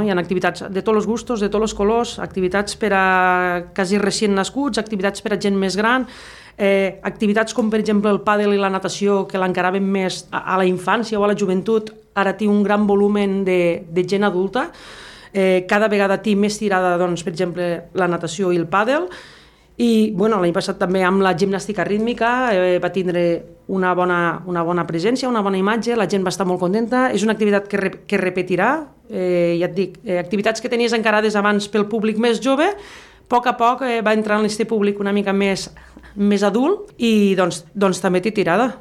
Hi ha activitats de tots els gustos, de tots els colors, activitats per a quasi recient nascuts, activitats per a gent més gran, activitats com per exemple el pàdel i la natació que l'encaràvem més a la infància o a la joventut, ara té un gran volumen de gent adulta, cada vegada té més tirada, doncs, per exemple, la natació i el pàdel. I l'any passat també amb la gimnàstica rítmica va tindre una bona presència, una bona imatge, la gent va estar molt contenta, és una activitat que repetirà, ja et dic, activitats que tenies encarades abans pel públic més jove, a poc va entrar en aquest públic una mica més adult i doncs també té tirada.